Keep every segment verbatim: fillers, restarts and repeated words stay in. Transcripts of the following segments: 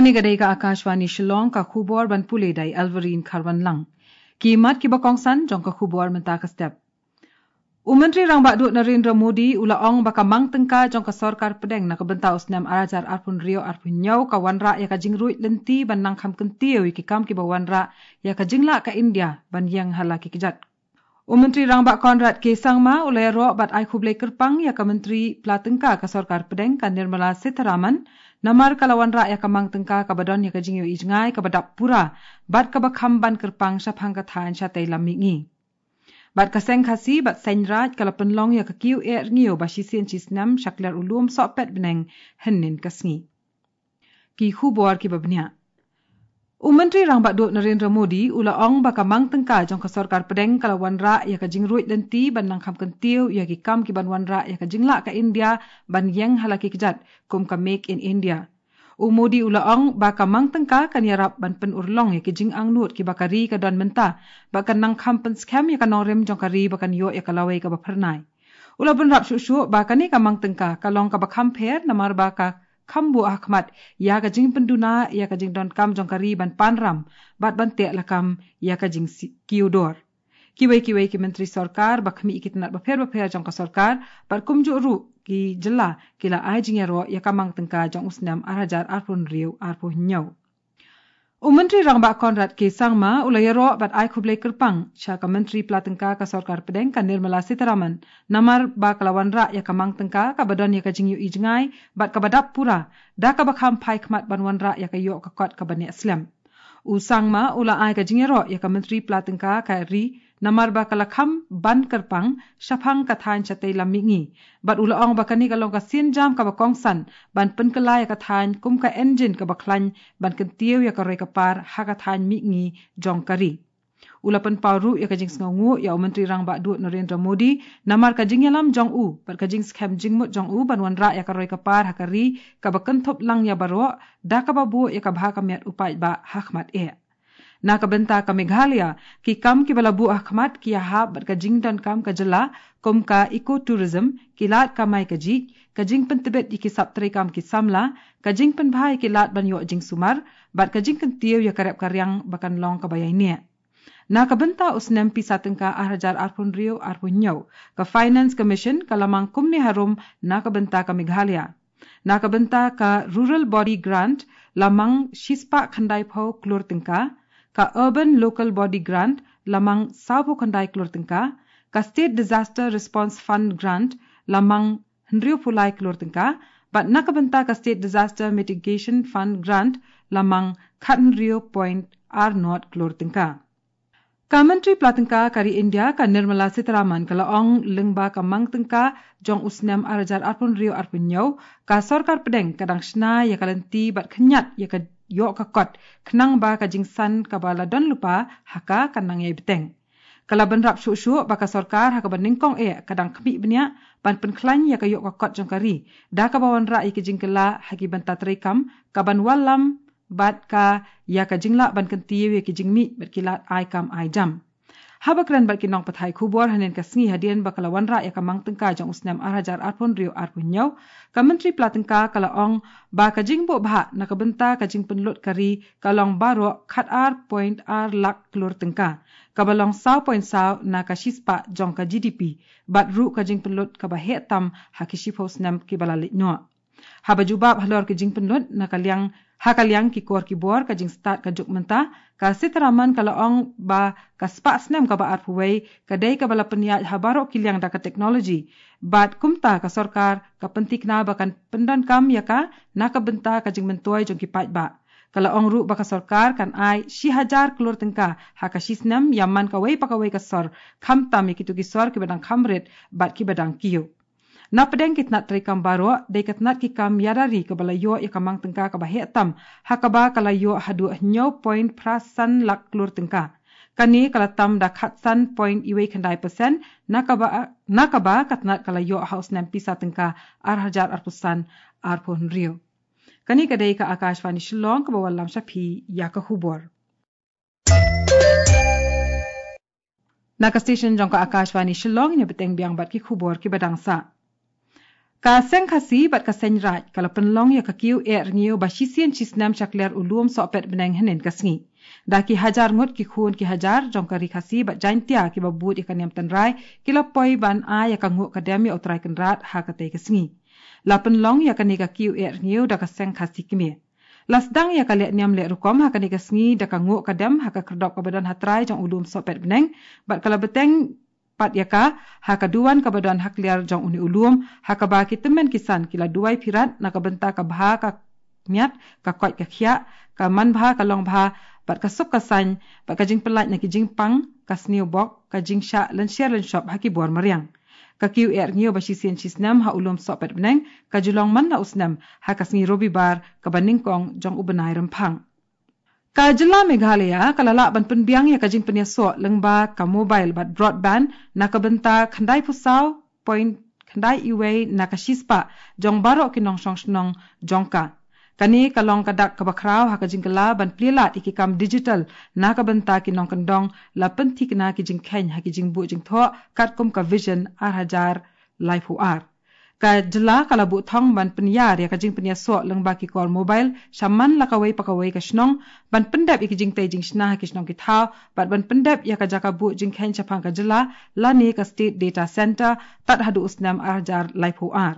Kane ka dei ka Akashvani Shillong, ka khubor ban pule da i Elverine Kharwanlang. Ki mat kiba kongsan jong ka khubor mynta ka step. U Myntri Rangbah Duh Narendra Modi u la ong ba ka mang tyngka jong ka sorkar pdeng na ka bynta u snem ar hajar arphew hynriew arphew hynñiew ka wanrah ïa ka jingruid lynti ban nang kham kyntiew ïa ki kam kiba wanrah ïa ka jinglah ka India ban ïeng ha la ki kjat. U Myntri Rangbah Conrad K Sangma u la ïaroh bad ai khublei kyrpang ïa ka Myntri Pla Tyngka ka sorkar pdeng ka Nirmala Sitharaman namar ka la wanrah ïa ka mang tyngka kaba don ïa ka jingïohi jngai kaba dap pura bad kaba kham ban kyrpang shaphang ka thaiñ shatei lam mihngi. Bad ka seng Khasi bad seng Raij ka la pynlong ïa ka kiew eh rngiew ba shisien shisnem sha kler u lum sohpet bneng hynnin ka sngi. Ki khubor kiba bniah. U Myntri Rangbah Duh Narendra Modi u la ong ba ka mang tyngka jong ka sorkar pdeng ka la wanrah ïa ka jingruid lynti ban nang kham kyntiew ïa ki kam kiban wanrah ïa ka jinglah ka India ban ïeng ha la ki kjat kum ka Make in India. U Modi u la ong ba ka mang tyngka kan ïarap ban pynurlong ïa ki jingangnud kiba ka ri ka don mynta bad kan nang kham pynskhem ïa ka nongrim jong ka ri ba kan ïoh ïa ka lawei kaba phyrnai. U la bynrap shuh shuh ba kane ka mang tyngka ka long kaba kham pher namar ba ka kham buh ha khmat ïa ka jingpynduna ïa ka jingdonkam jong ka ri ban pan ram bad ban teh lakam ïa ka jingkiew dor. Kiwei kiwei ki myntri sorkar ba khmih ïa ki tnat bapher bapher jong ka sorkar bad kumjuh ruh ki jylla ki la ai jingïaroh ïa ka mang tyngka jong u snem ar hajar arphew hynriew arphew hynñiew. U Myntri Rangbah Conrad K Sangma u la ïaroh bad ai khublei kyrpang sha ka Myntri Pla Tyngka ka sorkar pdeng ka Nirmala Sitharaman namar ba ka la wanrah ïa ka mang tyngka kaba don ïa ka jingïohi jngai bad kaba dap pura da kaba kham phai khmat ban wanrah ïa ka ïoh ka kot kaba neh slem. U Sangma u la ai ka jingïaroh ïa ka Myntri Pla Tyngka ka ri namar ba ka la kham ban kyrpang shaphang ka thaiñ shatei lam mihngi bad u la ong ba kane ka long ka sienjam kaba kongsan ban pynkylla ïa ka thaiñ kum ka engine kaba khlaiñ ban kyntiew ïa ka roi ka par ha ka thaiñ mihngi jong ka ri. U la pynpaw ruh ïa ka jingsngewnguh ïa u Myntri Rangbah Duh Narendra Modi namar ka jingïalam jong u bad ka jingskhem jingmut jong u ban wanrah ïa ka roi ka par ha ka ri kaba kynthup lang ïa baroh da kaba buh ïa ka bha ka miat u paidbah ha khmat eh. Na ka bynta ka Meghalaya, ki kam kiba la buh ha khmat ki ïahap bad ka jingdonkam ka jylla kum ka ecotourism, ki lad kamai kajih, ka jingpyntbit ïa ki sap treikam ki samla, ka jingpynbha ïa ki lad ban ïoh jingsumar bad ka jingkyntiew ïa ka rep ka riang ba kan long kaba ïaineh. Na ka bynta u snem pisa tyngka ar hajar arphew hynriew arphew hynñiew, ka Finance Commission ka la mang kumne harum na ka bynta ka Meghalaya. Na ka bynta ka Rural Body Grant la mang shispah khyndaiphew klur tyngka, ka Urban Local Body Grant la mang sawphew khyndai klur tyngka, ka State Disaster Response Fund Grant la mang hynriewphew lai klur tyngka, bad na ka bynta ka State Disaster Mitigation Fund Grant la mang khathynriew point ar nod klur tyngka. Ka Myntri Pla Tyngka ka ri India ka Nirmala Sitharaman ka la ong lyngba ka mang tyngka jong u snem ar hajar arphew hynriew arphew hynñiew, ka sorkar pdeng ka dang shna ïa ka lynti bad khynñiat ïa ka ïoh ka kot khnang ba ka jingsan kaba la don lypa ha ka kan nang ïai bteng. Ka la bynrap shuh shuh ba ka sorkar ha kaba nyngkong eh ka dang khmih bniah ban pynkhlaiñ ïa ka ïoh ka kot jong ka ri da kaba wanrah ïa ki jingkylla ha ki bynta treikam kaban wallam bad ka ïa ka jinglah ban kyntiew ïa ki jingmih bad ki lad ai kam ai jam. Haba kren bad ki nongpathai khubor hynnin ka sngi hadien ba ka la wanrah ïa ka mang tyngka jong u snem ar hajar arphew hynriew arphew hynñiew, ka Myntri Pla Tyngka ka la ong ba ka jingbuh bhah na ka bynta ka jingpynlut ka ri ka long baroh khatar point ar lak klur tyngka, kaba long saw point saw na ka shispah jong ka G D P, bad ruh ka jingpynlut kaba heh tam ha ki shiphew snem kiba la leit noh. Haba jubab halor ki jingpynlut na ka liang, ha ka liang ki kor ki bor ka jingstad ka juk mynta, ka Sitharaman ka la ong ba ka spah snem kaba arphew wei ka dei kaba la pynïaid ha baroh ki liang da ka technology. Bad kumta ka sorkar ka pynthikna ba kan pyndonkam ïa ka na ka bynta ka jingmyntoi jong ki paidbah. Ka la ong ruh ba ka sorkar kan ai shi hajar klur tyngka ha ka shi snem ïa man kawei pa kawei ka sor, khamtam ïa kito ki sor kiba dang kham rit bad kiba dang kiew. Na pdeng ki tnat treikam baroh, dei ka tnat ki kam ïada ri kaba la ïoh ïa ka mang tyngka kaba heh tam, ha kaba ka la ïoh haduh hynñiew point phra san lak klur tyngka. Kane ka la tam da khatsan point iwei khyndai percent, na kaba, na kaba ka tnat ka la ïoh ha u snem pisa tyngka ar hajar arphew san arphew hynriew. Kane ka dei ka Akashvani Shillong kaba wallam sha phi ïa ka khubor. Na ka station jong ka Akashvani Shillong, ïa bteng biang bad ki khubor kiba dang sah. Ka Seng Khasi bad ka Seng Raid ka la pynlong ïa ka kiew eh rngiew ba shisien shisnem sha kliar u lum sohpet bneng hynnin ka sngi. Da ki hajar ngut ki khun ki hajar jong ka Ri Khasi bad Jaintia kiba bud ïa ka niam tynrai ki la poi ban ai ïa ka nguh ka dem ïa U Trai Kynrad ha katei ka sngi. La pynlong ïa kane ka kiew eh rngiew da ka Seng Khasi Kmie. La sdang ïa ka leh niam leh rukom ha kane ka sngi da ka nguh ka dem ha ka khyrdop kaba don ha trai jong u lum sohpet bneng bad ka la bteng pat ïa ka ha ka duwan kaba don ha kliar jong une u lum ha kaba ki tymmen ki san ki la duwai phirat na ka bynta ka bha ka miat, ka koit ka khiah, ka man bha ka long bha, bad ka suk ka saiñ, bad ka jingpyllait na ki jingpang, ka sniewbok, ka jingshah lynsher lynshop ha ki bor mariang. Ka kiew eh rngiew ba shisien shisnem ha u lum sohpet bneng ka ju long man la u snem ha ka sngi Robibar kaba nyngkong jong u bnai Rymphang. Ka jylla Meghalaya ka la lah ban pynbiang ïa ka jingpynïasoh lyngba ka mobile bad broadband na ka bynta khyndai phew saw point khyndai uwei na ka shispah jong baroh ki nongshong shnong jong ka. Kane ka long ka dak kaba khraw ha ka jingkylla ban plie lad ïa ki kam digital na ka bynta ki nongkyndong, la pynthikna ki jingkheiñ ha ki jingbuh jingthoh katkum ka Vision ar hajar laiphew ar. Ka jylla ka la buh thong ban pynïar ïa ka jingpynïasoh lyngba ki kor mobile sha man la kawei pa kawei ka shnong, ban pyndep ïa ki jingtei jingshna ha ki shnong ki thaw, bad ban pyndep ïa ka jaka buh jingkheiñ shaphang ka jylla lane ka State Data Centre tad haduh u snem ar hajar laiphew ar.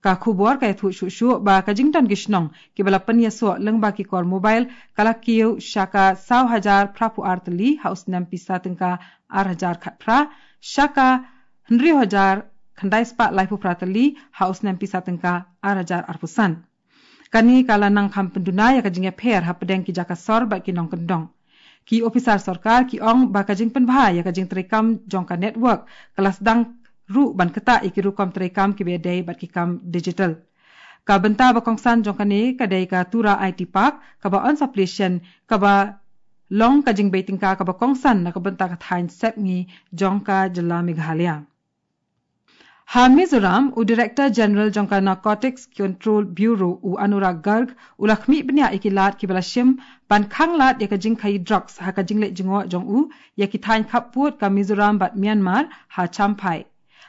Ka khubor ka ïathuh shuh shuh ba ka jingdon ki shnong kiba la pynïasoh lyngba ki kor mobile ka la kiew sha ka saw hajar phraphew ar tylli ha u snem pisa tyngka ar hajar khatphra, sha ka hynriew hajar khyndai spah laiphew phra tylli ha u snem pisa tyngka ar hajar arphew san. Kane ka la nang kham pynduna ïa ka jingïapher hapdeng ki jaka sor bad ki nongkyndong. Ki ophisar sorkar ki ong ba ka jingpynbha ïa ka jingtreikam jong ka network ka la sdang ruh ban ktah ïa ki rukom treikam kiba ïadei bad ki kam digital. Ka bynta ba kongsan jong kane ka dei ka Tura I T Park kaba on sa plie shen, kaba long ka jingbei tyngka kaba kongsan na ka bynta ka thaiñ sepngi jong ka jylla Meghalaya. Ha Mizoram, u Director General jong ka Narcotics Control Bureau, u Anurag Garg, u la khmih bniah ïa ki lad kiba la shim ban khanglad ïa ka jingkhaïi drugs ha ka jingleit jngoh jong u ïa ki thaiñ khappud ka Mizoram bad Myanmar ha Champhai.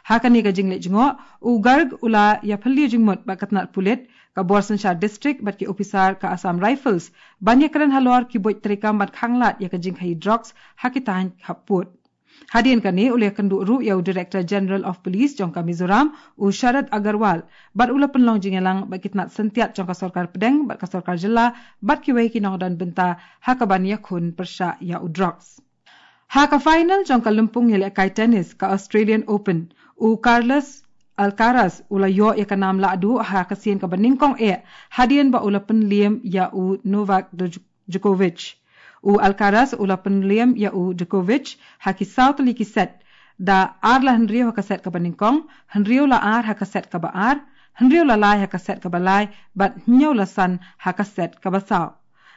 Ha kane ka jingleit jngoh, u Garg u la ïaphylliew jingmut bad ka tnat pulit, ka bor synshar district bad ki ophisar ka Assam Rifles ban ïakren halor ki buit treikam ban khanglad ïa ka jingkhaïi drugs ha ki thaiñ khappud. Hadien kane u la ïakynduh ruh ïa u Director General of Police jong ka Mizoram, u Sharad Agarwal, bad u la pynlong jingïalang bad ki tnat syntiat jong ka sorkar pdeng bad ka sorkar jylla bad kiwei ki nongdon bynta ha kaban ïakhun pyrshah ïa u drugs. Ha ka final jong ka lympung ïalehkai tennis ka Australian Open, u Carlos Alcaraz u la ïoh ïa ka nam lahduh ha ka sien kaba nyngkong eh hadien ba u la pynliem ïa u Novak Djok- Djokovic. U Alcaraz u la pynliem ïa u Djokovic ha ki saw tylli ki set, da ar la hynriew ha ka set kaba nyngkong, hynriew la ar ha ka set kaba ar, hynriew la lai ha ka set kaba lai, bad hynñiew la san ha ka set kaba saw.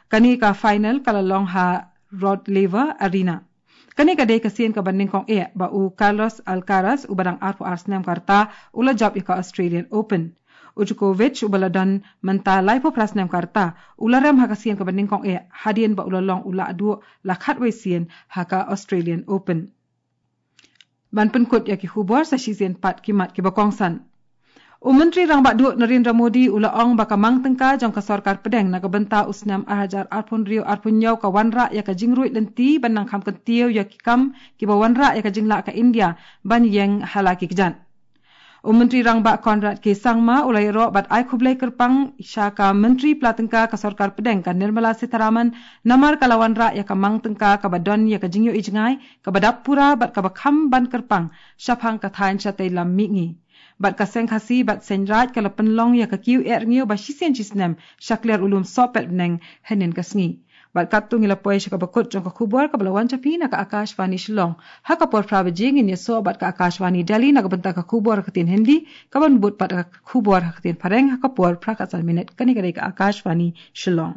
Kane ka final ka la long ha Rod Laver Arena. Kane ka dei ka sien kaba nyngkong eh ba u Carlos Alcaraz uba dang arphew ar snem ka rta u la jop ïa ka Australian Open. U Djokovic uba la don mynta laiphew phra snem ka rta u la rem ha ka sien kaba nyngkong eh hadien ba u la long u lahduh la khatwei sien ha ka Australian Open. Ban pynkut ïa ki khubor sa shisien pat ki mat kiba kongsan. U Myntri Rangbah Duh Narendra Modi u la ong ba ka mang tyngka jong ka sorkar pdeng na ka bynta u snem ar hajar arphew hynriew arphew hynñiew ka wanrah ïa ka jingruid lynti ban nang kham kyntiew ïa ki kam kiba wanrah ïa ka jinglah ka India ban ïeng ha la ki kjat. U Myntri Rangbah Conrad K Sangma u la ïaroh bad ai khublei kyrpang sha ka Myntri Pla Tyngka ka sorkar pdeng ka Nirmala Sitharaman namar ka la wanrah ïa ka mang tyngka kaba don ïa ka jingïohi jngai, kaba dap pura bad kaba kham ban kyrpang shaphang ka thaiñ shatei lam mihngi. Bad ka Seng Khasi bad Seng Raid ka la pynlong ïa ka kiew eh rngiew ba shisien shisnem sha kliar u lum sohpet bneng hynnin ka sngi. Bad katto ngi la poi sha kaba kut jong ka khubor kaba la wan sha phi na ka Akashvani Shillong. Ha ka por phra baje ngin ïasoh bad ka Akashvani Delhi na ka bynta ka khubor ha ka ktien Hindi, kaban bud pat ka khubor ha ka ktien Phareng ha ka por phra khatsan minit. Kane ka dei ka Akashvani Shillong.